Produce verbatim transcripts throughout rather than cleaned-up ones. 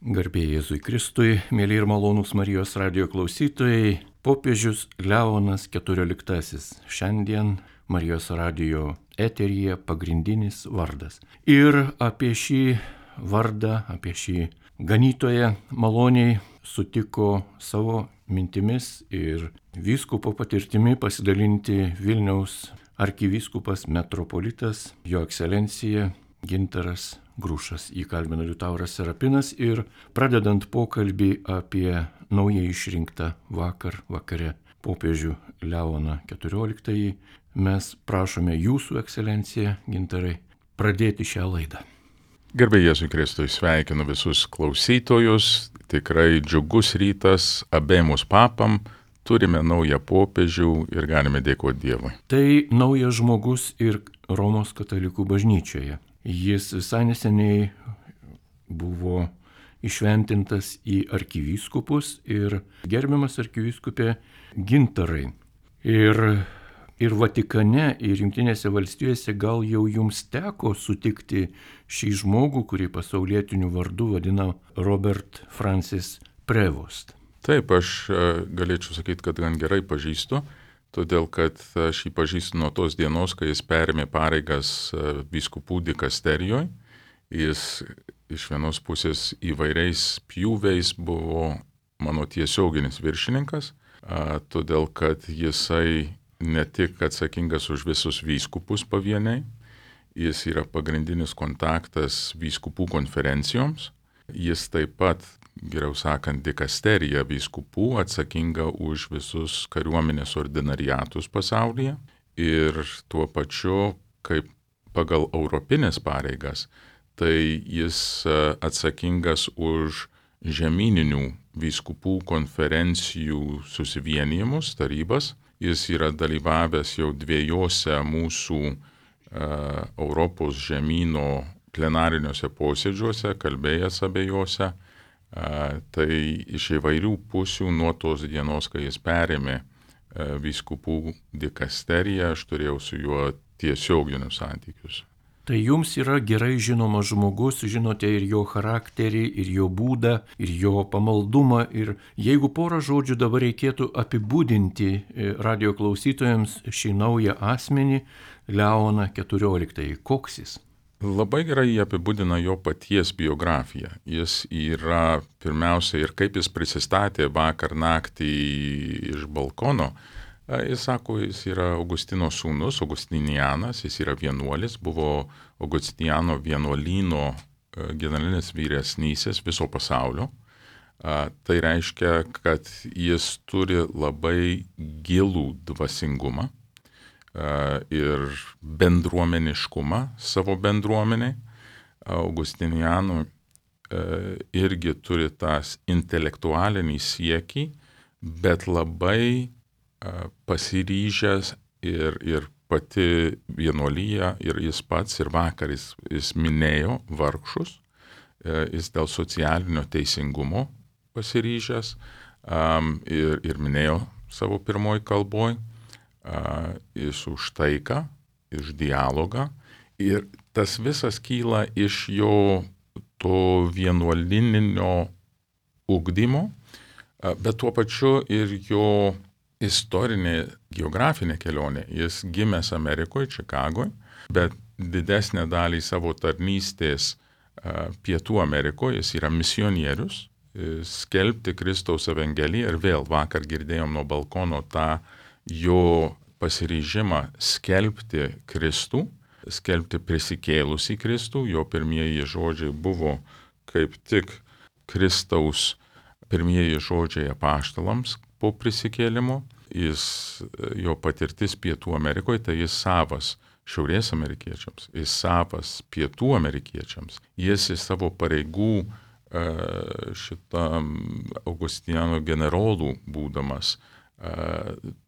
Garbė Jėzui Kristui, mėly ir malonūs Marijos radijo klausytojai, popiežius Leonas keturioliktasis. Šiandien Marijos radijo eteryje pagrindinis vardas. Ir apie šį vardą, apie šį ganytoją maloniai sutiko savo mintimis ir vyskupo patirtimi pasidalinti Vilniaus arkivyskupas metropolitas, jo ekscelencija Gintaras Grušas. Jį kalbino Liutauras Serapinas ir pradedant pokalbį apie naujai išrinktą vakar vakare popiežių Leoną keturioliktąjį, mes prašome jūsų ekscelenciją, Gintarai, pradėti šią laidą. Garbė Jėzui Kristui, sveikinu visus klausytojus, tikrai džiugus rytas abiemus papam, turime naują popiežių ir galime dėkoti Dievui. Tai naujas žmogus ir Romos katalikų bažnyčioje. Jis visai neseniai buvo išventintas į arkivyskupus ir gerbiamas arkivyskupė Gintarai. Ir, ir Vatikane, ir Jungtinėse valstijose gal jau jums teko sutikti šį žmogų, kurį pasaulietiniu vardu vadina Robert Francis Prevost. Taip, aš galėčiau sakyti, kad gan gerai pažįstu, todėl kad aš jį pažįstu nuo tos dienos, kai jis perėmė pareigas vyskupų dikasterijoje. Jis iš vienos pusės įvairiais pjūviais buvo mano tiesioginis viršininkas, todėl kad jisai ne tik atsakingas už visus vyskupus pavieniai, jis yra pagrindinis kontaktas vyskupų konferencijoms, jis taip pat, geriau sakant, dikasterija vyskupų atsakinga už visus kariuomenės ordinariatus pasaulyje ir tuo pačiu, kaip pagal europinės pareigas, tai jis atsakingas už žemyninių vyskupų konferencijų susivienijimus, tarybas. Jis yra dalyvavęs jau dviejose mūsų uh, Europos žemyno plenariniuose posėdžiuose, kalbėjęs abiejose. Uh, tai iš įvairių pusių nuo tos dienos, kai jis perėmė uh, vyskupų dikasteriją, aš turėjau su juo tiesioginius santykius. Tai jums yra gerai žinomas žmogus, žinote ir jo charakterį, ir jo būdą, ir jo pamaldumą. Ir jeigu porą žodžių dabar reikėtų apibūdinti radijo klausytojams šį naują asmenį, Leoną keturioliktąjį, koks jis? Labai gerai jį apibūdina jo paties biografija. Jis yra pirmiausia ir kaip jis prisistatė vakar naktį iš balkono. Jis sako, jis yra Augustino sūnus, Augustinianas, jis yra vienuolis, buvo Augustiniano vienuolyno generalinis vyresnysis viso pasaulio. Tai reiškia, kad jis turi labai gilų dvasingumą ir bendruomeniškumą savo bendruomeniai. Augustiniano irgi turi tas intelektualinį siekį, bet labai pasiryžęs ir, ir pati vienuolyja, ir jis pats, ir vakar jis, jis minėjo vargšus, jis dėl socialinio teisingumo pasiryžęs um, ir, ir minėjo savo pirmoj kalboj, uh, jis už taiką, iš dialogą, ir tas visas kyla iš jo to vienuolyninio ugdymo, uh, bet tuo pačiu ir jo istorinė, geografinė kelionė. Jis gimęs Amerikoje, Čikagoje, bet didesnę dalį savo tarnystės uh, Pietų Amerikoje jis yra misionierius, skelbti Kristaus evangeliją ir vėl vakar girdėjom nuo balkono tą jo pasiryžimą skelbti Kristų, skelbti prisikėlusį Kristų. Jo pirmieji žodžiai buvo kaip tik Kristaus pirmieji žodžiai apaštalams po prisikėlimo. Jis, jo patirtis Pietų Amerikoje, tai jis savas Šiaurės amerikiečiams, jis savas Pietų amerikiečiams. Jis į savo pareigų šitam Augustiniano generolų būdamas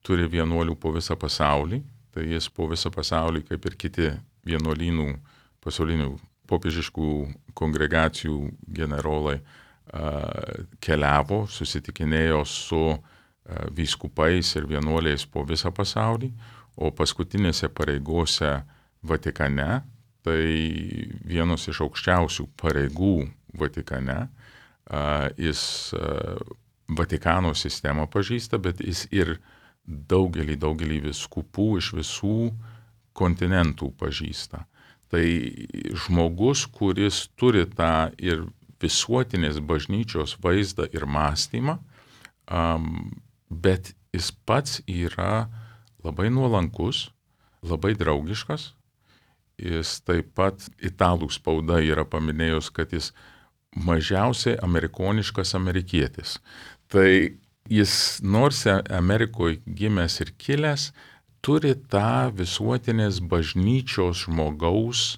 turi vienuolių po visą pasaulį. Tai jis po visą pasaulį, kaip ir kiti vienuolynų pasaulinių popiežiškų kongregacijų generolai, keliavo, susitikinėjo su vyskupais ir vienuoliais po visą pasaulį, o paskutinėse pareigose Vatikane, tai vienos iš aukščiausių pareigų Vatikane, jis Vatikano sistemą pažįsta, bet jis ir daugelį, daugelį vyskupų iš visų kontinentų pažįsta. Tai žmogus, kuris turi tą ir visuotinės bažnyčios vaizdą ir mąstymą, bet jis pats yra labai nuolankus, labai draugiškas. Jis taip pat italų spauda yra paminėjus, kad jis mažiausiai amerikoniškas amerikietis. Tai jis nors Amerikoje gimęs ir kilęs, turi tą visuotinės bažnyčios žmogaus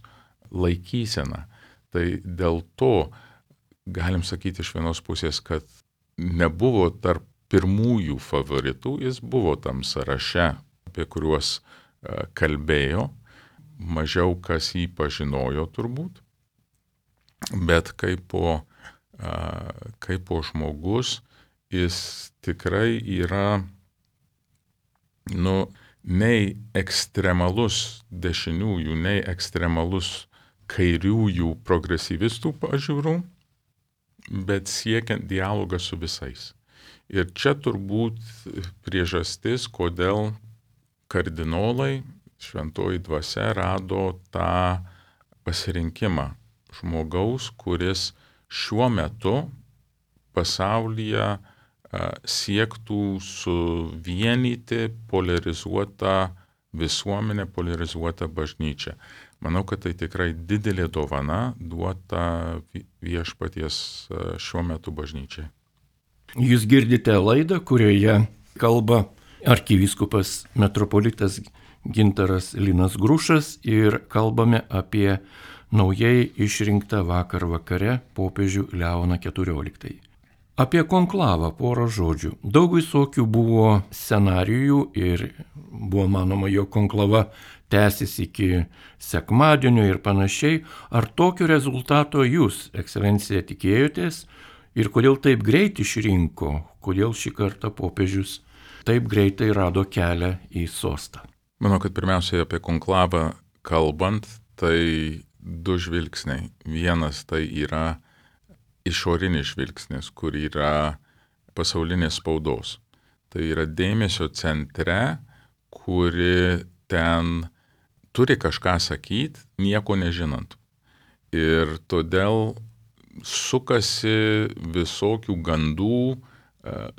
laikyseną. Tai dėl to galim sakyti iš vienos pusės, kad nebuvo tarp pirmųjų favoritų, jis buvo tam sąraše, apie kuriuos kalbėjo. Mažiau kas jį pažinojo turbūt, bet kaip po, kaip po žmogus jis tikrai yra, nu, nei ekstremalus dešiniųjų, nei ekstremalus kairiųjų progresyvistų pažiūrų, bet siekiant dialogą su visais. Ir čia turbūt priežastis, kodėl kardinolai, šventoji dvasia rado tą pasirinkimą žmogaus, kuris šiuo metu pasaulyje a, siektų suvienyti polarizuotą visuomenę, polarizuotą bažnyčią. Manau, kad tai tikrai didelė dovana duota viešpaties šiuo metu bažnyčiai. Jūs girdite laidą, kurioje kalba arkivyskupas metropolitas Gintaras Linas Grušas ir kalbame apie naujai išrinktą vakar vakare popiežių Leoną keturioliktąjį. Apie konklavą porą žodžių. Daug visokių buvo scenarijų ir buvo manoma, jog konklava tęsis iki sekmadienio ir panašiai. Ar tokio rezultato jūs, ekscelencija, tikėjotės ir kodėl taip greit išrinko, kodėl šį kartą popiežius taip greitai rado kelią į sostą? Manau, kad pirmiausiai apie konklavą kalbant, tai du žvilgsniai. Vienas tai yra išorinis žvilgsnis, kur yra pasaulinės spaudos. Tai yra dėmesio centre, kuri ten turi kažką sakyti, nieko nežinant. Ir todėl sukasi visokių gandų,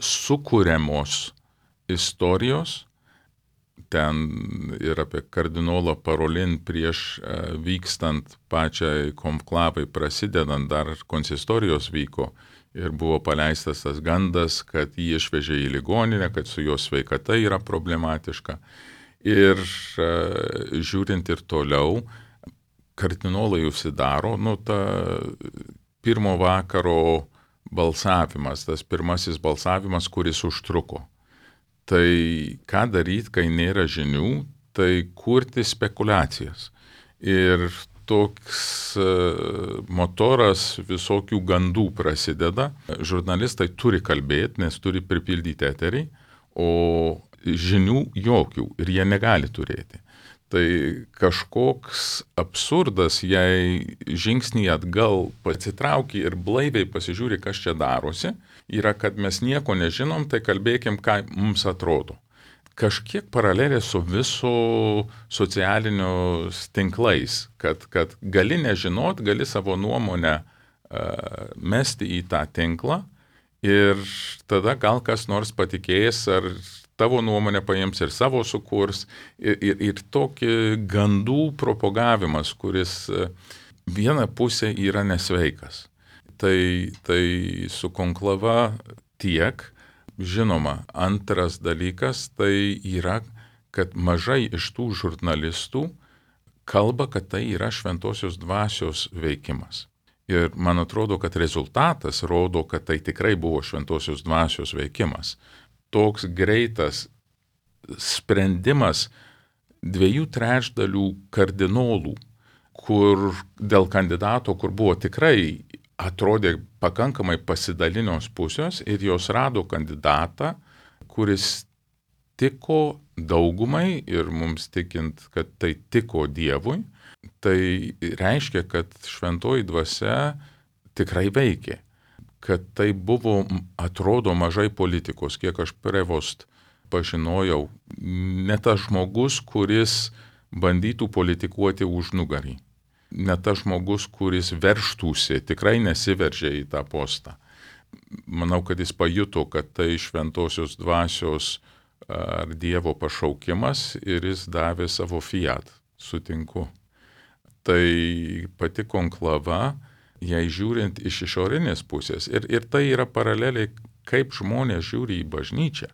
sukuriamos istorijos. Ten ir apie kardinolą Parolin prieš vykstant pačiai konklavai prasidedant, dar konsistorijos vyko ir buvo paleistas tas gandas, kad jį išvežė į ligoninę, kad su jo sveikata yra problematiška. Ir žiūrint ir toliau, kardinolai užsidaro, nu ta pirmo vakaro balsavimas, tas pirmasis balsavimas, kuris užtruko. Tai ką daryti, kai nėra žinių, tai kurti spekulacijas. Ir toks motoras visokių gandų prasideda. Žurnalistai turi kalbėti, nes turi pripildyti eterį, o žinių jokių ir jie negali turėti. Tai kažkoks absurdas, jei žingsnį atgal pasitrauki ir blaiviai pasižiūri, kas čia darosi, yra, kad mes nieko nežinom, tai kalbėkim, ką mums atrodo. Kažkiek paralelė su viso socialinius tinklais, kad, kad gali nežinot, gali savo nuomonę uh, mesti į tą tinklą ir tada gal kas nors patikės ar tavo nuomonę paims ir savo sukurs ir, ir, ir tokį gandų propagavimas, kuris viena pusė yra nesveikas. Tai, tai su konklava tiek. Žinoma, antras dalykas tai yra, kad mažai iš tų žurnalistų kalba, kad tai yra šventosios dvasios veikimas. Ir man atrodo, kad rezultatas rodo, kad tai tikrai buvo šventosios dvasios veikimas. Toks greitas sprendimas dviejų trečdalių kardinolų, kur dėl kandidato, kur buvo tikrai atrodė pakankamai pasidalinios pusės ir jos rado kandidatą, kuris tiko daugumai ir mums tikint, kad tai tiko Dievui, tai reiškia, kad šventoji dvasia tikrai veikė. kad tai buvo, atrodo, mažai politikos, kiek aš prevost pažinojau, ne tas žmogus, kuris bandytų politikuoti už nugarį, ne tas žmogus, kuris verštųsi, tikrai nesiveržė į tą postą. Manau, kad jis pajuto, kad tai šventosios dvasios ar Dievo pašaukimas ir jis davė savo fiat, sutinku. Tai pati konklava, jei žiūrint iš išorinės pusės, ir, ir tai yra paraleliai, kaip žmonės žiūri į bažnyčią.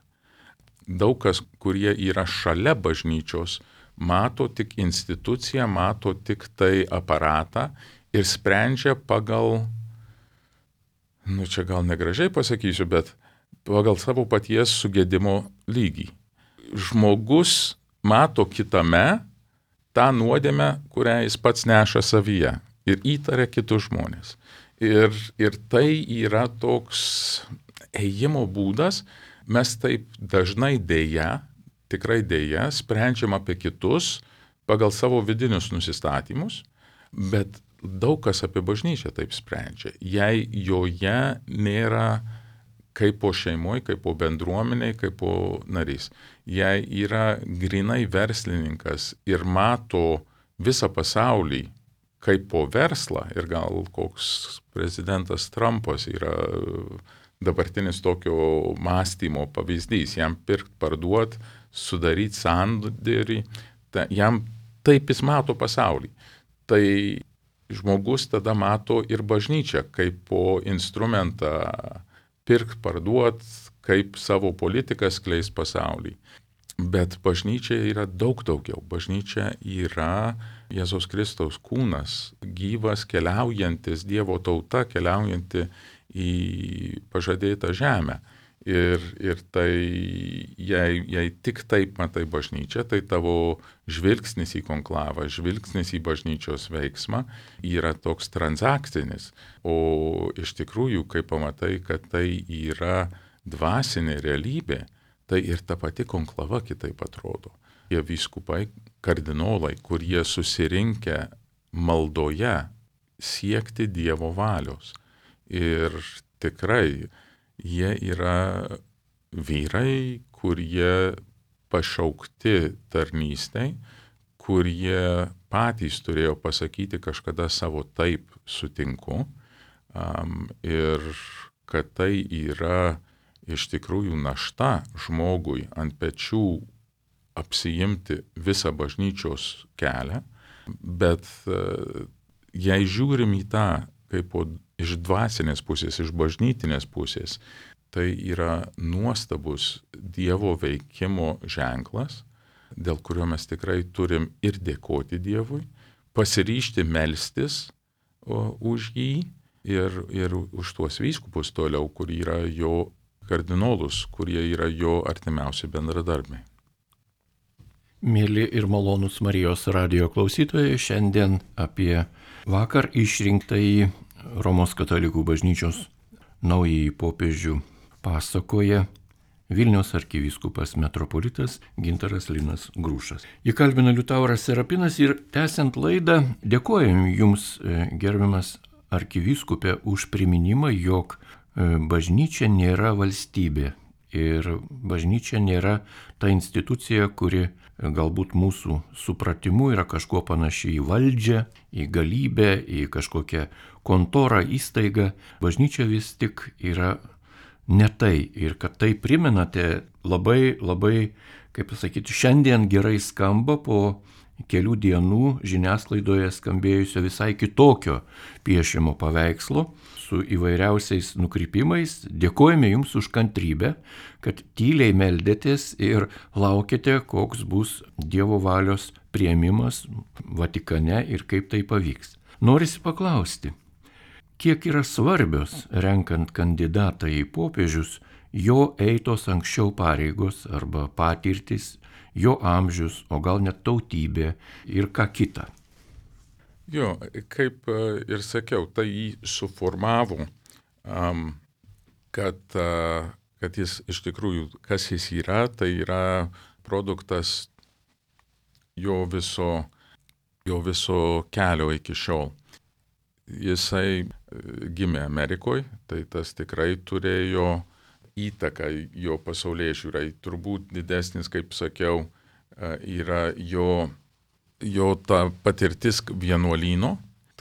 Daug kas, kurie yra šalia bažnyčios, mato tik instituciją, mato tik tai aparatą ir sprendžia pagal, nu čia gal negražiai pasakysiu, bet pagal savo paties sugedimo lygį. Žmogus mato kitame tą nuodėmę, kurią jis pats neša savyje ir įtaria kitus žmonės. Ir, ir tai yra toks ėjimo būdas, mes taip dažnai dėja, tikrai dėja, sprendžiam apie kitus pagal savo vidinius nusistatymus, bet daug kas apie bažnyčią taip sprendžia. Jei joje nėra kaip po šeimoje, kaip po bendruomeniai, kaip po narys. Jei yra grinai verslininkas ir mato visą pasaulį kaip po verslą, ir gal koks prezidentas Trumpas yra dabartinis tokio mąstymo pavyzdys, jam pirkt, parduot, sudaryti sandorį, ta, jam taip jis mato pasaulį. Tai žmogus tada mato ir bažnyčią kaip po instrumentą pirkt, parduot, kaip savo politiką skleis pasaulį. Bet bažnyčia yra daug daugiau. Bažnyčia yra Jėzaus Kristaus kūnas, gyvas, keliaujantis, Dievo tauta, keliaujanti į pažadėtą žemę. Ir, ir tai, jei, jei tik taip matai bažnyčią, tai tavo žvilgsnis į konklavą, žvilgsnis į bažnyčios veiksmą yra toks transakcinis. O iš tikrųjų, kai pamatai, kad tai yra dvasinė realybė, tai ir ta pati konklava kitaip atrodo. Jie vyskupai, kardinolai, kurie susirinkę maldoje siekti Dievo valios. Ir tikrai jie yra vyrai, kurie pašaukti tarnystei, kurie patys turėjo pasakyti kažkada savo taip sutinku, um, ir kad tai yra iš tikrųjų našta žmogui ant pečių apsiimti visą bažnyčios kelią, bet uh, jei žiūrim į tą kaip po, iš dvasinės pusės, iš bažnytinės pusės, tai yra nuostabus Dievo veikimo ženklas, dėl kurio mes tikrai turim ir dėkoti Dievui, pasiryžti melstis o, už jį ir, ir už tuos vyskupus toliau, kur yra jo kardinolus, kurie yra jo artimiausi bendradarbiai. Mėly ir malonūs Marijos radijo klausytojai, šiandien apie vakar išrinktąjį Romos katalikų bažnyčios naująjį popiežių pasakoja Vilniaus arkivyskupas metropolitas Gintaras Linas Grušas. Jį kalbina Liutauras Serapinas ir tęsiant laidą dėkojam Jums, gerbiamas arkivyskupė, už priminimą, jog bažnyčia nėra valstybė ir bažnyčia nėra ta institucija, kuri galbūt mūsų supratimu yra kažkuo panaši į valdžią, į galybę, į kažkokią kontorą, įstaigą. Bažnyčia vis tik yra ne tai. Ir kad tai primenate labai, labai, kaip pasakyti, šiandien gerai skamba po kelių dienų žiniasklaidoje skambėjusio visai kitokio piešimo paveikslo su įvairiausiais nukrypimais. Dėkojame Jums už kantrybę, kad tyliai meldėtės ir laukite, koks bus Dievo valios priėmimas Vatikane ir kaip tai pavyks. Norisi paklausti, kiek yra svarbios, renkant kandidatą į popiežius, jo eitos anksčiau pareigos arba patirtis, jo amžius, o gal net tautybė ir ką kita. Jo, kaip ir sakiau, tai jį suformavo, um, kad, uh, kad jis iš tikrųjų, kas jis yra, tai yra produktas jo viso, jo viso kelio iki šiol. jisai gimė Amerikoje, tai tas tikrai turėjo įtaką jo pasaulėžiūrai. Turbūt didesnis, kaip sakiau, yra jo, jo ta patirtis vienuolyno,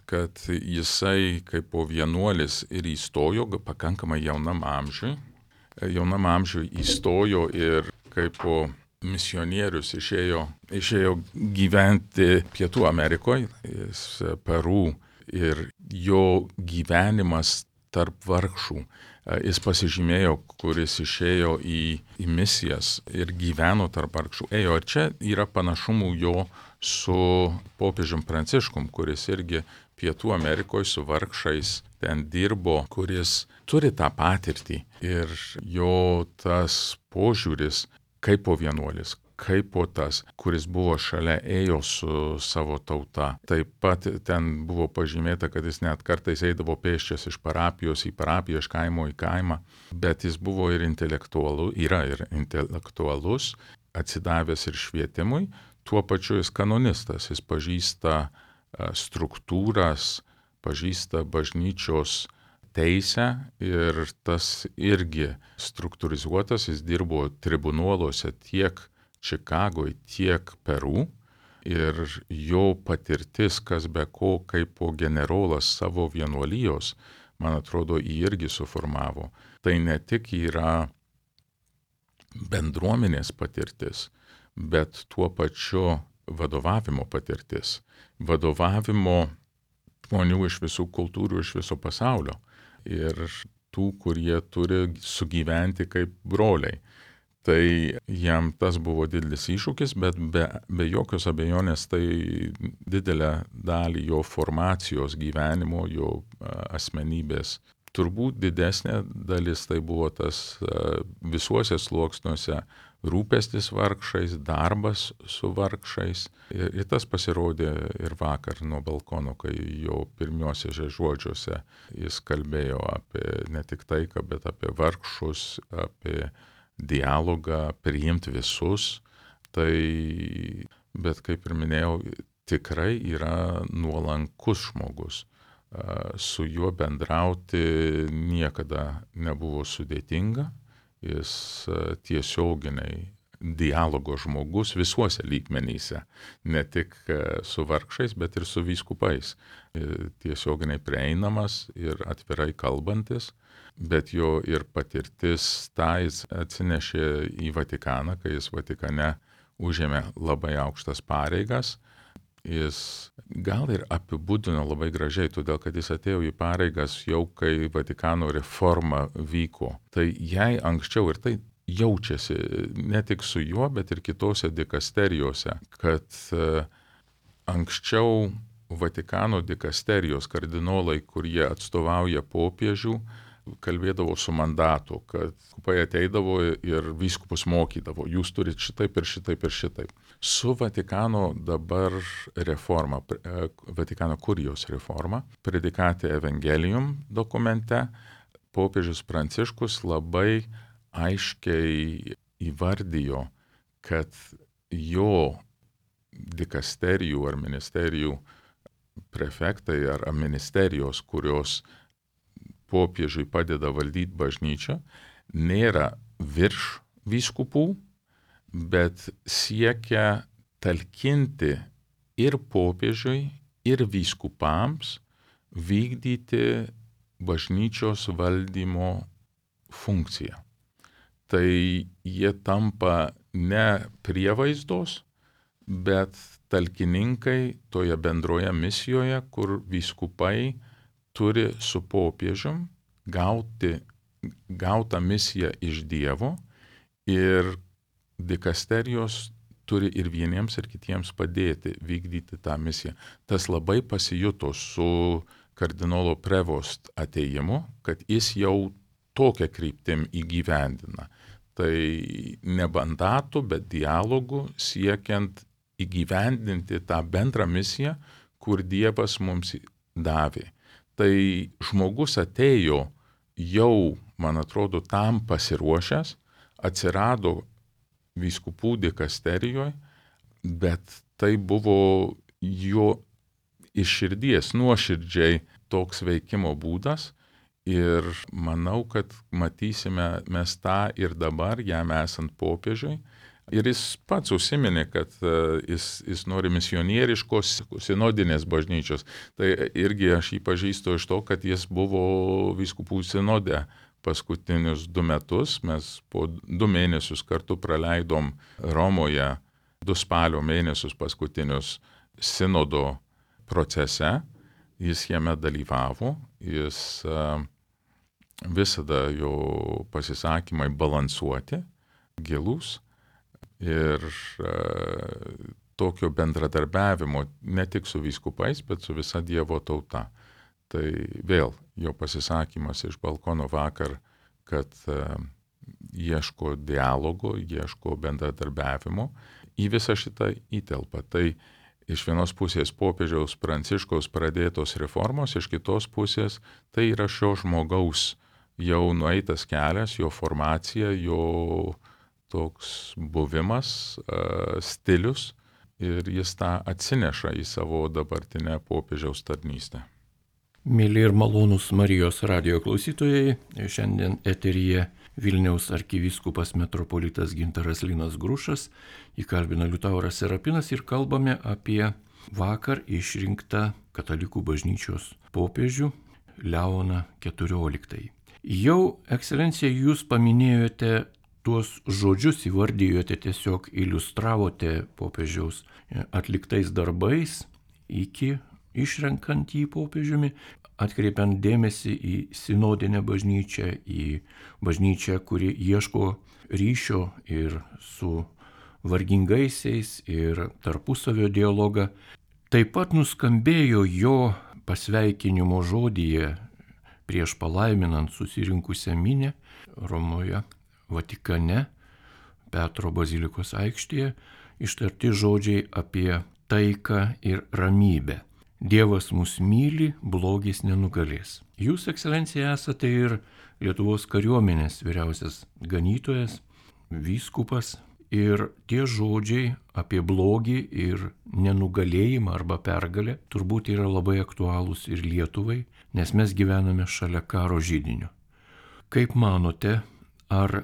kad jisai kaip po vienuolis ir įstojo pakankamai jaunam amžiui. Jaunam amžiui įstojo ir kaip po misionierius išėjo, išėjo gyventi Pietų Amerikoje, jis Peru, ir jo gyvenimas tarp vargšų. Jis pasižymėjo, kuris išėjo į, į misijas ir gyveno tarp vargšų. Ėjo, ir čia yra panašumų jo su popiežium Pranciškum, kuris irgi Pietų Amerikoje su vargšais ten dirbo, kuris turi tą patirtį. Ir jo tas požiūris, kaip po vienuolis, kaip po tas, kuris buvo šalia, ėjo su savo tauta. Taip pat ten buvo pažymėta, kad jis net kartais eidavo pėsčias iš parapijos į parapiją, iš kaimo į kaimą, bet jis buvo ir intelektualus, yra ir intelektualus, atsidavęs ir švietimui, tuo pačiu jis kanonistas, jis pažįsta struktūras, pažįsta bažnyčios teisę ir tas irgi struktūrizuotas, jis dirbo tribunoluose tiek Čikagoje, tiek Peru, ir jo patirtis, kas be ko, kaip po generolas savo vienuolijos, man atrodo, jį irgi suformavo. Tai ne tik yra bendruomenės patirtis, bet tuo pačiu vadovavimo patirtis. Vadovavimo žmonių iš visų kultūrų, iš viso pasaulio. Ir tų, kurie turi sugyventi kaip broliai. Tai jam tas buvo didelis iššūkis, bet be, be jokios abejonės tai didelę dalį jo formacijos gyvenimo, jo asmenybės. Turbūt didesnė dalis tai buvo tas visuose sluoksniuose rūpestis vargšais, darbas su vargšais. Ir, ir tas pasirodė ir vakar nuo balkono, kai jo pirmiuosiuose žodžiuose jis kalbėjo apie ne tik taiką, bet apie vargšus, apie dialogą, priimti visus. Tai, bet kaip ir minėjau, tikrai yra nuolankus žmogus. Su juo bendrauti niekada nebuvo sudėtinga. Jis tiesioginiai dialogo žmogus visuose lygmenyse, ne tik su vargšais, bet ir su vyskupais. Tiesioginiai prieinamas ir atvirai kalbantis, bet jo ir patirtis tą jis atsinešė į Vatikaną, kai jis Vatikane užėmė labai aukštas pareigas. Jis gal ir apibūdino labai gražiai, todėl kad jis atėjo į pareigas jau kai Vatikano reforma vyko. Tai jei anksčiau, ir tai jaučiasi ne tik su juo, bet ir kitose dikasterijose, kad anksčiau Vatikano dikasterijos kardinolai, kurie atstovauja popiežių, kalbėdavo su mandatu, kad vyskupai ateidavo ir vyskupus mokydavo, jūs turit šitaip ir šitaip ir šitaip. Su Vatikano dabar reforma, Vatikano kurijos reforma, Predikate Evangelium dokumente, popiežius Pranciškus labai aiškiai įvardijo, kad jo dikasterijų ar ministerijų prefektai ar ministerijos, kurios popiežiui padeda valdyti bažnyčią, nėra virš vyskupų, bet siekia talkinti ir popiežiui, ir vyskupams vykdyti bažnyčios valdymo funkciją. Tai jie tampa ne prievaizdos, bet talkininkai toje bendroje misijoje, kur vyskupai turi su popiežium gauti, gautą misiją iš Dievo ir dikasterijos turi ir vieniems ir kitiems padėti vykdyti tą misiją. Tas labai pasijuto su kardinolo Prevost atėjimu, kad jis jau tokią kryptim įgyvendina. Tai ne mandatų, bet dialogų siekiant įgyvendinti tą bendrą misiją, kur Dievas mums davė. Tai žmogus atėjo jau, man atrodo, tam pasiruošęs, atsirado vyskupų dikasterijoje, bet tai buvo jo iš širdies nuoširdžiai toks veikimo būdas ir manau, kad matysime mes tą ir dabar, jam esant popiežiui. Ir jis pats užsiminė, kad uh, jis, jis nori misionieriškos sinodinės bažnyčios. Tai irgi aš jį pažįstu iš to, kad jis buvo vyskupų sinode paskutinius du metus. Mes po du mėnesius kartu praleidom Romoje, du spalio mėnesius paskutinius sinodo procese. Jis jame dalyvavo, jis uh, visada jo pasisakymai balansuoti, gilūs. Ir uh, tokio bendradarbiavimo ne tik su vyskupais, bet su visa Dievo tauta. Tai vėl jo pasisakymas iš balkono vakar, kad uh, ieško dialogo, ieško bendradarbiavimo, į visą šitą įtelpa. Tai iš vienos pusės popiežiaus Pranciškaus pradėtos reformos, iš kitos pusės tai yra šio žmogaus jau nueitas kelias, jo formacija, jo toks buvimas, uh, stilius ir jis tą atsineša į savo dabartinę popiežiaus tarnystę. Mėly ir malonūs Marijos radijo klausytojai, šiandien eteryje Vilniaus arkivyskupas metropolitas Gintaras Linas Grušas, įkalbina Liutauras Serapinas ir kalbame apie vakar išrinktą katalikų bažnyčios popiežių Leoną keturioliktąjį. Jau, ekscelencija, jūs paminėjote tuos žodžius, įvardijote, tiesiog iliustravote popiežiaus atliktais darbais iki išrenkant jį popiežiumi, atkreipiant dėmesį į sinodinę bažnyčią, į bažnyčią, kuri ieško ryšio ir su vargingaisiais ir tarpusavio dialogą. Taip pat nuskambėjo jo pasveikinimo žodyje prieš palaiminant susirinkusią minią Romoje, Vatikane, Petro bazilikos aikštėje, ištarti žodžiai apie taiką ir ramybę. Dievas mus myli, blogis nenugalės. Jūs, ekscelencija, esate ir Lietuvos kariuomenės vyriausias ganytojas, vyskupas, ir tie žodžiai apie blogį ir nenugalėjimą arba pergalę turbūt yra labai aktualūs ir Lietuvai, nes mes gyvename šalia karo židinio. Kaip manote, ar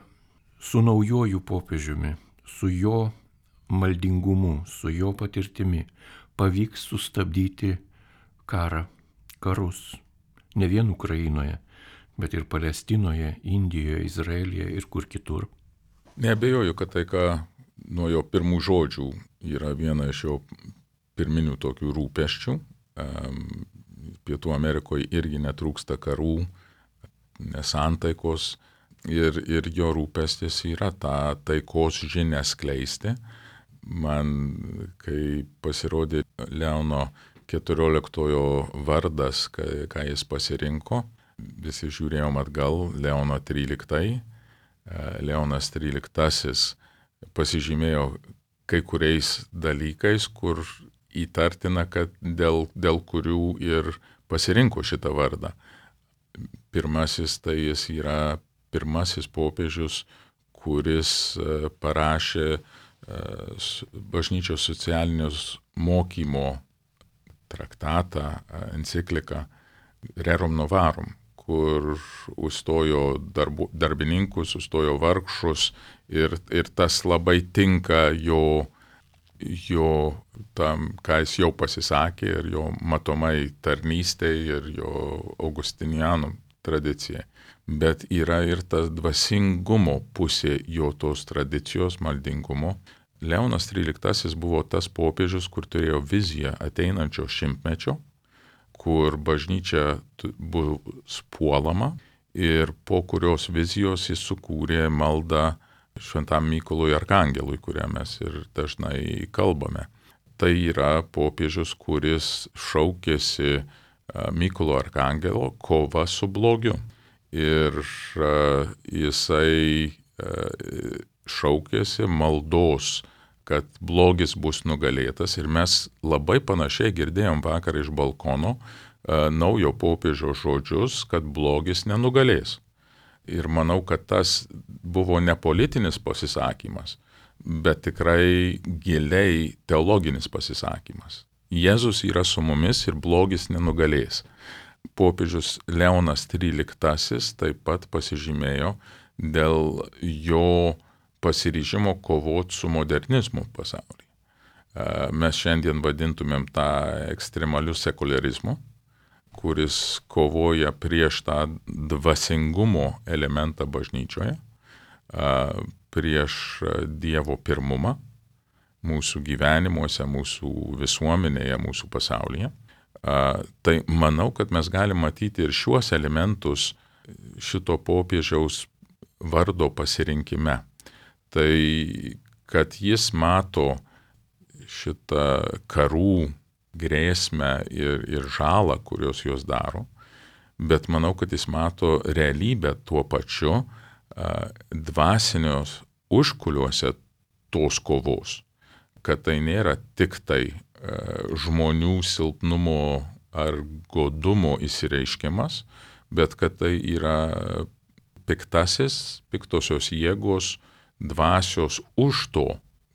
su naujoju popiežiumi, su jo maldingumu, su jo patirtimi pavyks sustabdyti karą, karus, ne vien Ukrainoje, bet ir Palestinoje, Indijoje, Izraelyje ir kur kitur? Neabejoju, kad tai, ką nuo jo pirmų žodžių yra viena iš jo pirminių tokių rūpesčių. Pietų Amerikoje irgi netrūksta karų, nesantaikos. Ir, ir jo rūpestis yra tą taikos žinią skleisti. Man, kai pasirodė Leono keturioliktojo vardas, ką, ką jis pasirinko, visi žiūrėjom atgal, Leono tryliktai. Leonas tryliktasis pasižymėjo kai kuriais dalykais, kur įtartina, kad dėl, dėl kurių ir pasirinko šitą vardą. Pirmasis tai jis yra pirmasis popiežius, kuris parašė bažnyčios socialinius mokymo traktatą, encikliką Rerum Novarum, kur užstojo darbu, darbininkus, užstojo vargšus ir, ir tas labai tinka jo, jo tam, ką jis jau pasisakė, ir jo matomai tarnystė ir jo Augustinianų tradicijai. Bet yra ir tas dvasingumo pusė jo tos tradicijos, maldingumo. Leonas tryliktasis buvo tas popiežius, kur turėjo viziją ateinančio šimtmečio, kur bažnyčia bus puolama ir po kurios vizijos jis sukūrė maldą Šventam Mykolui Arkangelui, kurią mes ir dažnai kalbame. Tai yra popiežius, kuris šaukėsi Mykolo Arkangelo kova su blogiu. Ir uh, jisai uh, šaukėsi maldos, kad blogis bus nugalėtas. Ir mes labai panašiai girdėjom vakar iš balkono uh, naujo popiežio žodžius, kad blogis nenugalės. Ir manau, kad tas buvo ne politinis pasisakymas, bet tikrai giliai teologinis pasisakymas. Jėzus yra su mumis ir blogis nenugalės. popiežius Leonas tryliktasis taip pat pasižymėjo dėl jo pasiryžimo kovoti su modernizmu pasaulyje. Mes šiandien vadintumėm tą ekstremaliu sekularizmu, kuris kovoja prieš tą dvasingumo elementą bažnyčioje, prieš Dievo pirmumą mūsų gyvenimuose, mūsų visuomenėje, mūsų pasaulyje. Tai manau, kad mes galim matyti ir šiuos elementus šito popiežiaus vardo pasirinkime. Tai, kad jis mato šitą karų grėsmę ir, ir žalą, kurios jos daro, bet manau, kad jis mato realybę tuo pačiu dvasinios užkuliuose tos kovos, kad tai nėra tik tai žmonių silpnumo ar godumo įsireiškimas, bet kad tai yra piktasis, piktosios jėgos, dvasios už to,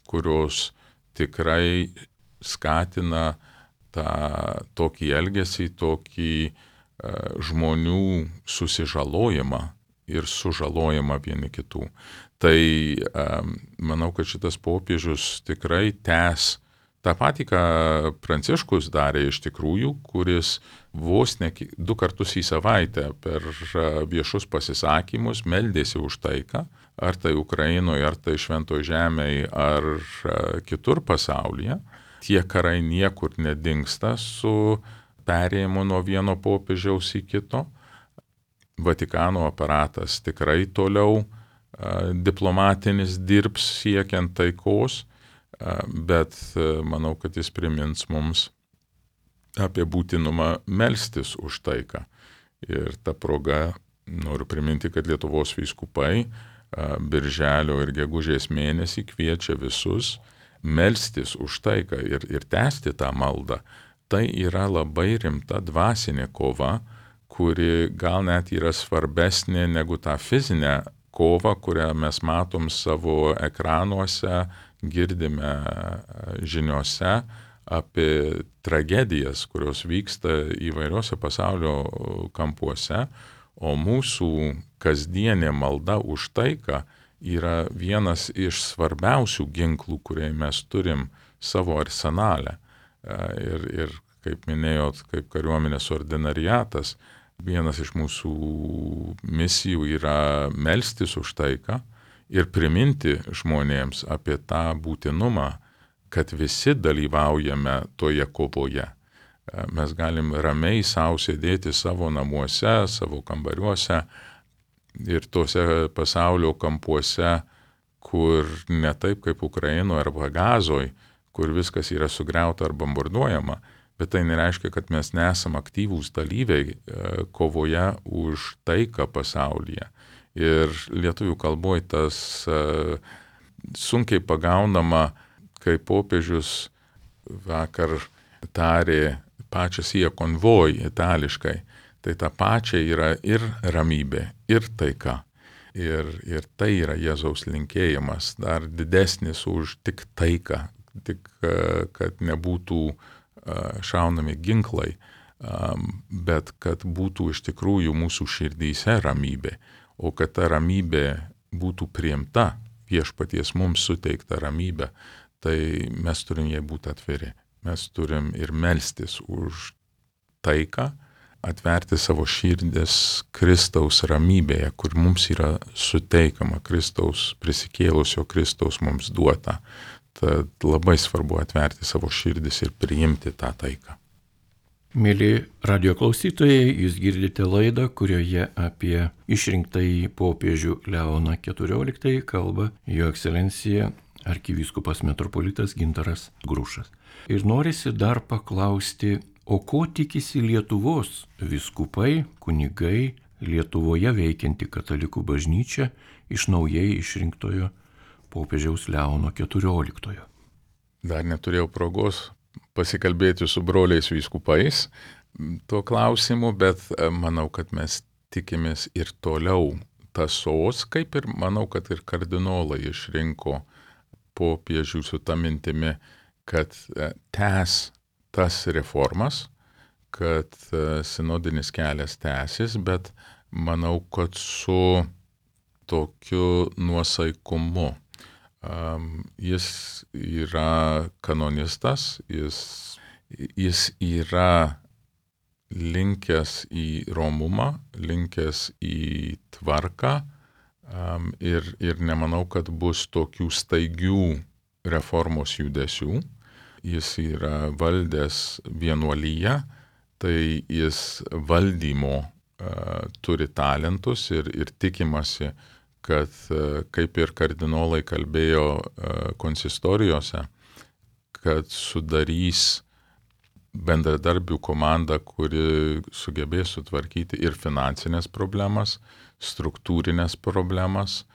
kurios tikrai skatina tą tokį elgesį, tokį uh, žmonių susižalojimą ir sužalojimą vieni kitų. Tai um, manau, kad šitas popiežius tikrai tęs tą patį, ką Pranciškus darė iš tikrųjų, kuris vos ne du kartus į savaitę per viešus pasisakymus meldėsi už taiką, ar tai Ukrainoje, ar tai Šventoje žemėje, ar kitur pasaulyje. Tie karai niekur nedingsta su perėjimu nuo vieno popiežiaus į kito. Vatikano aparatas tikrai toliau diplomatinis dirbs siekiant taikos, bet manau, kad jis primins mums apie būtinumą melstis už taiką. Ir ta proga noriu priminti, kad Lietuvos vyskupai birželio ir gegužės mėnesį kviečia visus melstis už taiką ir, ir tęsti tą maldą. Tai yra labai rimta dvasinė kova, kuri gal net yra svarbesnė negu tą fizinę kovą, kurią mes matom savo ekranuose, girdime žiniose apie tragedijas, kurios vyksta įvairiuose pasaulio kampuose, o mūsų kasdienė malda už taiką yra vienas iš svarbiausių ginklų, kurie mes turim savo arsenale. Ir, ir kaip minėjot, kaip kariuomenės ordinariatas, vienas iš mūsų misijų yra melstis už taiką ir priminti žmonėms apie tą būtinumą, kad visi dalyvaujame toje kovoje. Mes galim ramiai savo sėdėti savo namuose, savo kambariuose ir tose pasaulio kampuose, kur ne taip kaip Ukrainoje arba Gazoje, kur viskas yra sugriauta ar bombarduojama, bet tai nereiškia, kad mes nesam aktyvūs dalyviai kovoje už taiką pasaulyje. Ir lietuvių kalboje tas uh, sunkiai pagaunama, kai popiežius vakar tarė pačias jie konvoj itališkai, tai ta pačia yra ir ramybė, ir taika. Ir, ir tai yra Jėzaus linkėjimas, dar didesnis už tik taiką, tik kad nebūtų šaunami ginklai, bet kad būtų iš tikrųjų mūsų širdyse ramybė, o kad ta ramybė būtų priimta, viešpaties mums suteikta ramybė, tai mes turim jai būti atviri. Mes turim ir melstis už taiką, atverti savo širdis Kristaus ramybėje, kur mums yra suteikama Kristaus prisikėlusio Kristaus mums duota. Tad labai svarbu atverti savo širdis ir priimti tą taiką. Mėly radio klausytojai, jūs girdite laidą, kurioje apie išrinktąjį popiežių Leoną keturioliktąjį kalba Jo ekscelencija arkivyskupas metropolitas Gintaras Grušas. Ir norisi dar paklausti, o ko tikisi Lietuvos vyskupai, kunigai, Lietuvoje veikianti katalikų bažnyčia iš naujai išrinktojo popiežiaus Leono keturioliktojo? Dar neturėjau progos pasikalbėti su broliais vyskupais tuo klausimu, bet manau, kad mes tikimės ir toliau tąsos, kaip ir manau, kad ir kardinolai išrinko popiežių su ta mintimi, kad tęs tas reformas, kad sinodinis kelias tęsis, bet manau, kad su tokiu nuosaikumu. Jis yra kanonistas, jis, jis yra linkęs į romumą, linkęs į tvarką ir, ir nemanau, kad bus tokių staigių reformos judesių. Jis yra valdęs vienuolyją, tai jis valdymo uh, turi talentus ir, ir tikimasi, kad uh, kaip ir kardinolai kalbėjo uh, konsistorijose, kad sudarys bendradarbių komandą, kuri sugebės sutvarkyti ir finansinės problemas, struktūrinės problemas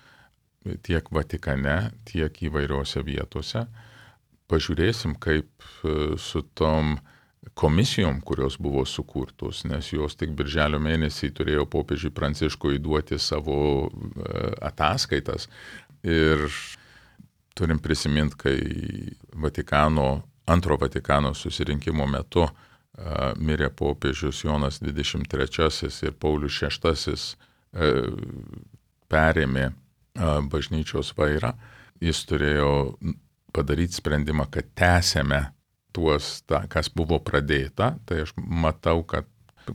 tiek Vatikane, tiek įvairiose vietose. Pažiūrėsim, kaip su tom komisijom, kurios buvo sukurtos, nes jos tik birželio mėnesį turėjo popiežiui Pranciškui duoti savo ataskaitas. Ir turim prisiminti, kai Vatikano, antro Vatikano susirinkimo metu uh, mirė popiežius Jonas dvidešimt trečiasis ir Paulius šeštasis uh, perėmė uh, bažnyčios vairą. Jis turėjo padaryti sprendimą, kad tęsėme tuos, ta, kas buvo pradėta. Tai aš matau, kad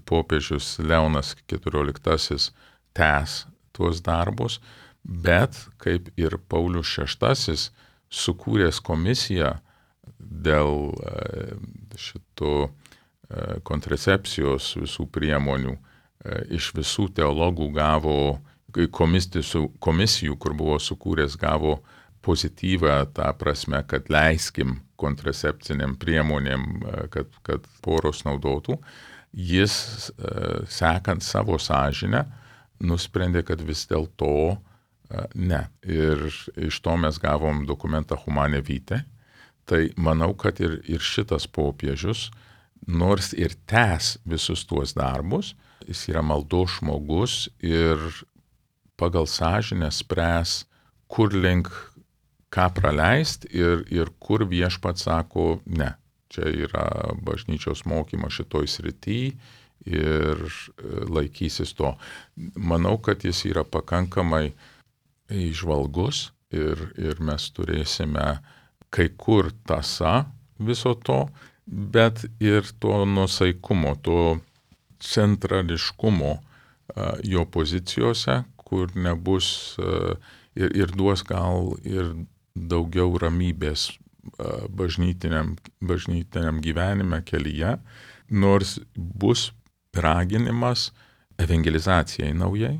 popiežius Leonas keturioliktasis tęs tuos darbus, bet kaip ir Paulius šeštasis sukūręs komisiją dėl šito kontracepcijos visų priemonių, iš visų teologų gavo, komisijų, kur buvo sukūręs, gavo pozityvą tą prasme, kad leiskim kontracepciniam priemonėm, kad, kad poros naudotų. Jis, sekant savo sąžinę, nusprendė, kad vis dėlto ne. Ir iš to mes gavom dokumentą Humane Vitae. Tai manau, kad ir, ir šitas popiežius, nors ir tęs visus tuos darbus, jis yra maldos žmogus ir pagal sąžinę spręs, kur link ką praleisti ir, ir kur viešpats sako, ne, čia yra bažnyčios mokymas šitoj srity ir laikysis to. Manau, kad jis yra pakankamai įžvalgus ir, ir mes turėsime kai kur tąsa viso to, bet ir to nuosaikumo, to centrališkumo uh, jo pozicijose, kur nebus uh, ir, ir duos gal ir daugiau ramybės bažnytiniam, bažnytiniam gyvenime kelyje, nors bus raginimas evangelizacijai naujai,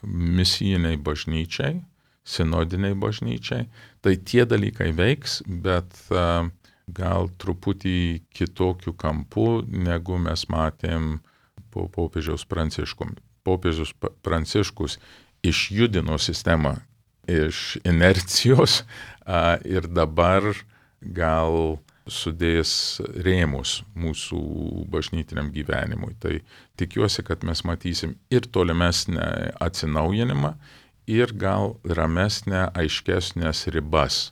misijiniai bažnyčiai, sinodiniai bažnyčiai. Tai tie dalykai veiks, bet uh, gal truputį kitokių kampų, negu mes matėm po popiežiaus Pranciškum. Popiežius Pranciškus išjudino sistemą iš inercijos a, ir dabar gal sudės rėmus mūsų bažnytiniam gyvenimui. Tai tikiuosi, kad mes matysim ir tolimesnę atsinaujinimą, ir gal ramesnę, aiškesnės ribas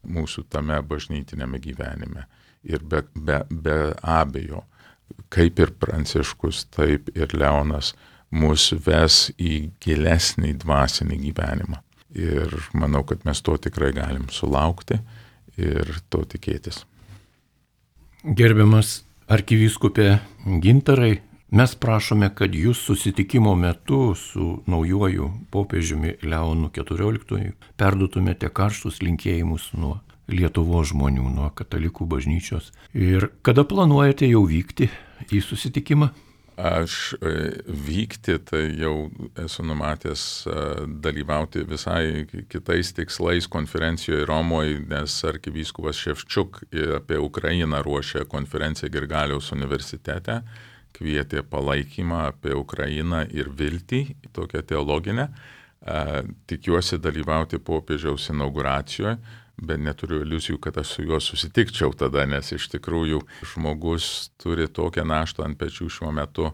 mūsų tame bažnytinėme gyvenime. Ir be, be, be abejo, kaip ir Pranciškus, taip ir Leonas mus ves į gilesnį dvasinį gyvenimą. Ir manau, kad mes to tikrai galim sulaukti ir to tikėtis. Gerbiamas arkivyskupė Gintarai, mes prašome, kad jūs susitikimo metu su naujuoju popiežiumi Leonu keturioliktuoju perduotumėte karštus linkėjimus nuo Lietuvos žmonių, nuo katalikų bažnyčios. Ir kada planuojate jau vykti į susitikimą? Aš vykti, tai jau esu numatęs dalyvauti visai kitais tikslais konferencijoje Romoje, nes arkivyskupas Ševčuk apie Ukrainą ruošė konferenciją Grigaliaus universitete, kvietė palaikymą apie Ukrainą ir viltį, tokią teologinę. Tikiuosi dalyvauti popiežiaus inauguracijoje, bet neturiu iliuzijų, kad aš su juo susitikčiau tada, nes iš tikrųjų žmogus turi tokią naštą ant pečių šiuo metu.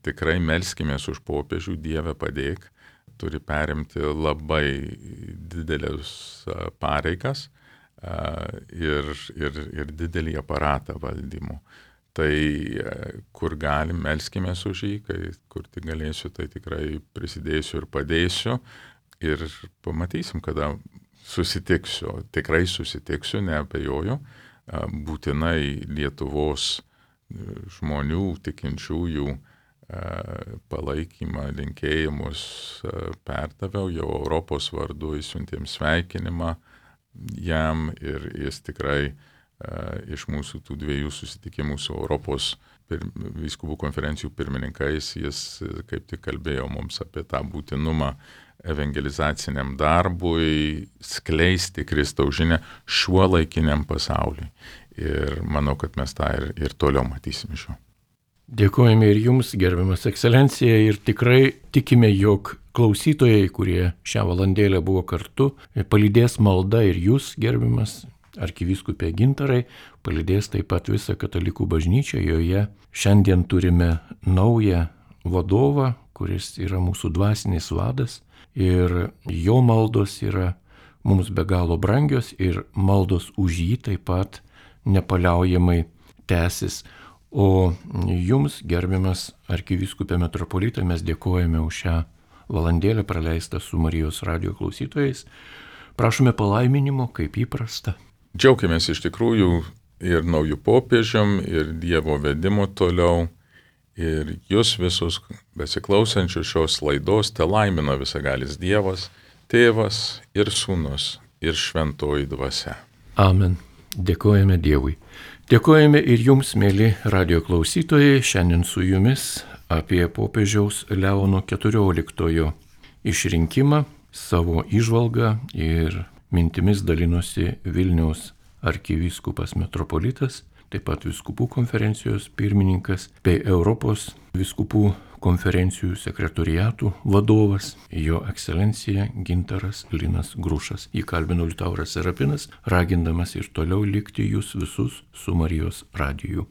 Tikrai melskimės už popiežių, Dieve padėk, turi perimti labai didelės pareigas ir, ir, ir didelį aparatą valdymo. Tai kur galim, melskimės už jį, kai kur tik galėsiu, tai tikrai prisidėsiu ir padėsiu. Ir pamatysim, kada susitiksiu, tikrai susitiksiu, neabejoju, būtinai Lietuvos žmonių, tikinčiųjų palaikymą, linkėjimus perdaviau, jau Europos vardu įsiuntėm sveikinimą jam ir jis tikrai iš mūsų tų dviejų susitikimų su Europos pir, vyskupų konferencijų pirmininkais, jis kaip tik kalbėjo mums apie tą būtinumą evangelizaciniam darbui, skleisti Kristaus žinią šiuo laikiniam pasauliui. Ir manau, kad mes tą ir, ir toliau matysime šiuo. Dėkojame ir jums, gerbiamas ekscelencija, ir tikrai tikime, jog klausytojai, kurie šią valandėlę buvo kartu, palydės malda ir jūs, gerbiamas arkivyskupė Gintarai, palydės taip pat visą katalikų bažnyčią. Joje šiandien turime naują vadovą, kuris yra mūsų dvasinis vadas, ir jo maldos yra mums be galo brangios ir maldos už jį taip pat nepaliaujamai tęsis. O jums, gerbiamas arkivyskupė metropolitą, mes dėkojame už šią valandėlę praleistą su Marijos radijo klausytojais. Prašome palaiminimo, kaip įprasta. Džiaugiamės iš tikrųjų ir naujų popiežiam, ir Dievo vedimu toliau. Ir jūs visus besiklausančius šios laidos te laimina visagalis Dievas, Tėvas ir Sūnus ir Šventoji Dvasia. Amen. Dėkojame Dievui. Dėkojame ir jums, mėly radijo klausytojai, šiandien su jumis apie popiežiaus Leono keturioliktojo išrinkimą, savo įžvalgą ir mintimis dalinosi Vilniaus arkivyskupas metropolitas, taip pat vyskupų konferencijos pirmininkas bei Europos vyskupų konferencijų sekretoriatų vadovas, jo ekscelencija Gintaras Linas Grušas. Jį kalbino Liutauras Serapinas, ragindamas ir toliau likti jūs visus su Marijos radiju.